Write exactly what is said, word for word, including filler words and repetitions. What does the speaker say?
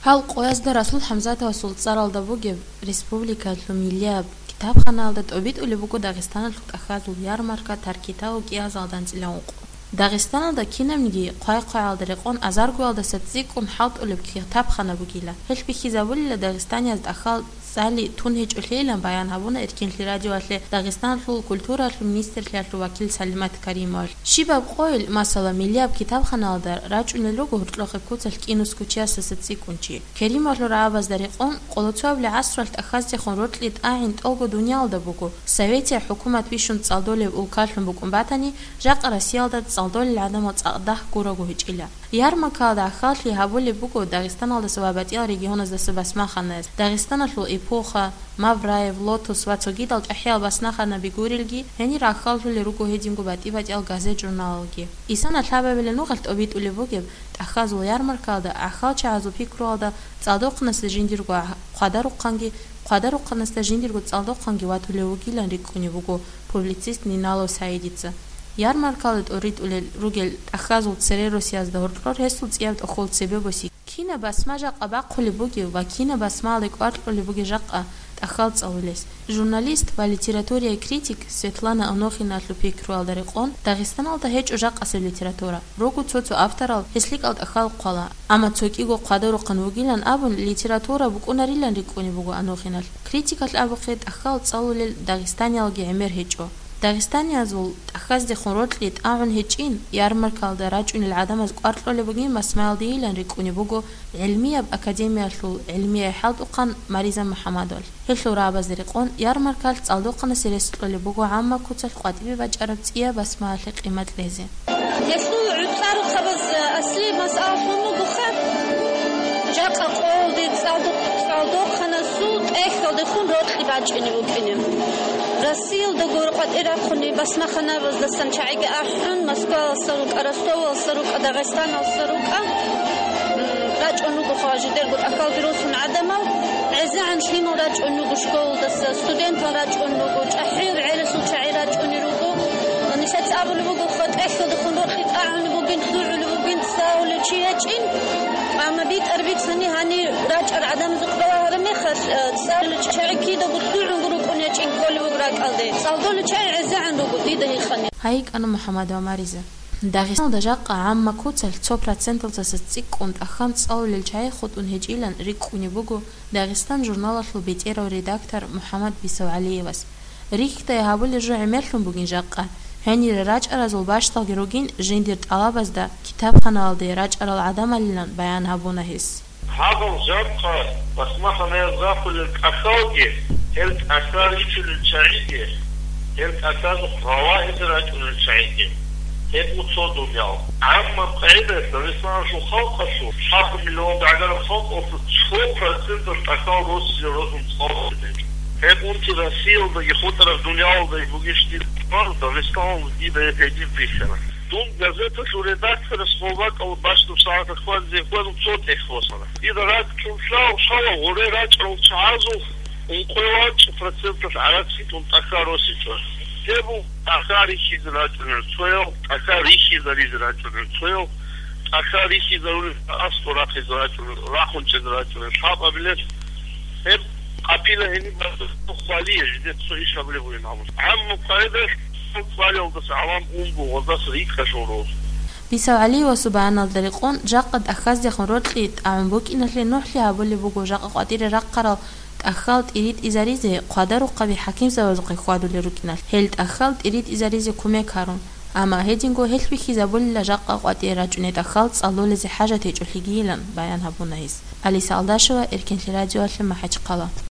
Гьал къоязда Расул ХӀамзатовасул цӀаралда бугеб республикалъул миллияб китабханаялда тӀобитӀулеб буго Дагъистаналъул тӀахьазул ярмарка таркитал кӀиазалда анцӀила ункъо. Дагъистаналда кинабниги хъвай-хъваялда рекъон азаргоялдаса цӀикӀкӀун хӀалтӀулеб китабхана бугила. Гьелъ бихьизабулила дагъистанияз тӀахьал цӀали тун гьечӀолъейилан баян гьабуна Эркенлъи радиоялъе Дагъистаналъул культуралъул министрлъиялъул вакил Салимат Каримовалъ. Щибаб къойил, масала, миллияб китабханаялда рачӀунел руго гьоркьохъеб куцалъ кӀинусго чиясаса цӀикӀкӀун чи. Керимовалъул рагӀабазда рекъон, къолоцоябли гӀасралъ тӀахьаздехун рокьи тӀагӀин тӀолго дуниялда буго. Советиял хӀукумат бищун цӀалдолеб улкалъун букӀун батани, жакъа Россиялда цӀалдолел гӀадамал цӀакъ дагь гураго гьечӀила. Ярмаркаялда гӀахьаллъи гьабулеб буго Дагъистаналдаса ва батӀиял регионаздаса басмаханаяз, Дагъистаналъул эпоха, Мавраев, Лотос ва цогидал чӀахӀиял басмаханаби гурелги, гьенир гӀахьаллъулел руго гьединго батӀи-батӀиял газет-журналалги. Исана лъабабилеб нухалъ тӀобитӀулеб бугеб тӀахьазул ярмаркаялда гӀахьалчагӀазул пикруялда цӀалдохъанасда жиндирго гӀа-, хъвадарухъанги, хъвадарухъанасда жиндирго цӀалдохъанги ватулев вугилан рикӀкӀунеб буго публицист Ниналов Саидица. Ярмаркаялда тӀоритӀулел ругел тӀахьазул цере росиязда гьоркьор гьесул цӀияб тӀохол цебе боси. Кинаб басма жакъа бахъулеб бугев ва кинаб басмаялде кӀвар кьолеб бугеб жакъа тӀахьал цӀалулес? Журналист ва литературияй критик Светлана Анохиналъул пикруялда рекъон, Дагъистаналда гьечӀо жакъасеб литература. Руго цо-цо авторал гьес лъикӀал тӀахьал хъвала, амма цо кӀиго хъвадарухъан вугилан абун, литература букӀунарилан рикӀкӀунеб буго Анохиналъ. Критикалъ абухъе, тӀахьал цӀалулел дагъистаниялги гӀемер гьечӀо. Дагъистаниязул тӀахьаздехун рокьи тӀагӀун гьечӀин, ярмаркаялда рачӀунел гӀадамаз кӀвар кьолеб бугин басмаялдейилан рикӀкӀунеб буго гӀилмияб академиялъул гӀилмияй хӀалтӀухъан Мариза МухӀамадовалъ. Гьелъул рагӀабазда рекъон, ярмаркалъ цӀалдохъанасе рес кьолеб буго гӀамма куцалъ къватӀибе бачӀараб цӀияб басмаялъе къимат кьезе. Гьелъул гӀуцӀарухъабаз аслияб масъалалъун бугоха, жакъа къоялде цӀалдохъ-, цӀалдохъанасул тӀехьалдехун рокьи бачӀине букӀине. Россиялдаго къватӀир рахъунеб басмаханабаздасан чагӀиги ахӀун, Москваялдаса рукӀа, Ростовалдаса рукӀа, Дагъистаналдаса рукӀа, м, рачӀун руго хъважидерго тӀахьалги росун гӀадамал, гӀезегӀан лъимал рачӀун руго школалдаса, студентал рачӀун руго, чӀахӀиял гӀелалъул чагӀи рачӀунел руго. Нилъеца абулеб буго, хъатӀехьалдехун рокьи тӀагӀунеб бугин, лъугӀулеб бугин, цӀалулев чи гьечӀин. Амма битӀар бицани гьанир рачӀар гӀадамазухъ балагьараб мехалъ, э, цӀалулев чагӀи кидаго лъугӀунго рукӀун гьечӀин кколеб буго ракӀалде. ЦӀалдолев чагӀи гӀезегӀан руго, дида гьикъани. Гьайикъана МухӀаммад ва Мариза. Дагъистаналда жакъа гӀамма куцалъ цо проценталдаса цӀикӀкӀун тӀахьан цӀалулел чагӀи хутӀун гьечӀилан рикӀкӀунеб буго Дагъистан журналалъул бетӀерав редактор МухӀаммад Бисавгьалиевас. Рихьдай гьабулел жо гӀемерлъун бугин жакъа. Гьенире рачӀаразул бащдалги ругин жиндир тӀалабазда китабханаялде рачӀарал гӀадамалилан баян гьабуна гьес. Гьабал жакъа басмаханаяз рахулел тӀахьалги, гьел тӀахьал рихьулел чагӀиги, гьел тӀахьазухъ ралагьизе рачӀунел чагӀиги, гьеб буго цо дуниял. Амма къагӀидаялъ Дагъистаналъул халкъалъул, лъабго миллион бегӀераб халкъалъул цо проценталъ тӀахьал росизе росун цӀалулел гьечӀо. Гьеб унти Россиялдаги хутӀараб дуниялалдаги бугищ дир хабар, Дагъистаналда дида гьеб гьедин бихьана. Дун газеталъул редакторас гьеб бакӀал бащдаб сагӀаталъ хьвадизе хьвадун цо тӀехь босана. Дида рачӀун лъала гъоре рачӀарал чагӀазул ункъоялда чӀу проценталъ гӀарацги тун тӀахьал росичӀо. Гьеб буго тӀахьал рихьизе рачӀунел цоял, тӀахьал рихьизаризе рачӀунел цоял, тӀахьал рихьизарулел аскӀор рахъизе рачӀунел, рахун чӀезе рачӀунел лъабабилел. Гьеб къапила гьениб хвалие жидеца цо иш гьабулеб бугин абун. ГӀаммаб къагӀидаялъ хвалиялдаса гӀалам унго гъоздаса рикӀкӀалъул руго. Бисавгьалиевасул баяналда рекъон, жакъа тӀахьаздехун рокьи тӀагӀун букӀиналъе нухлъи гьабулеб буго жакъа къватӀире рахъарал тӀахьал тӀиритӀизаризе хъвадарухъаби хӀакимзабазухъе хьвадулел рукӀиналъ, гьел тӀахьал тӀиритӀизаризе кумек гьарун. Амма гьединго гьелъ бихьизабулила жакъа къватӀире рачӀунел тӀахьал цӀалулезе хӀажат гьечӀолъигийилан баян гьабуна гьес. Алиса Алдашева, Эркенлъи радиоялъе, МахӀачхъала.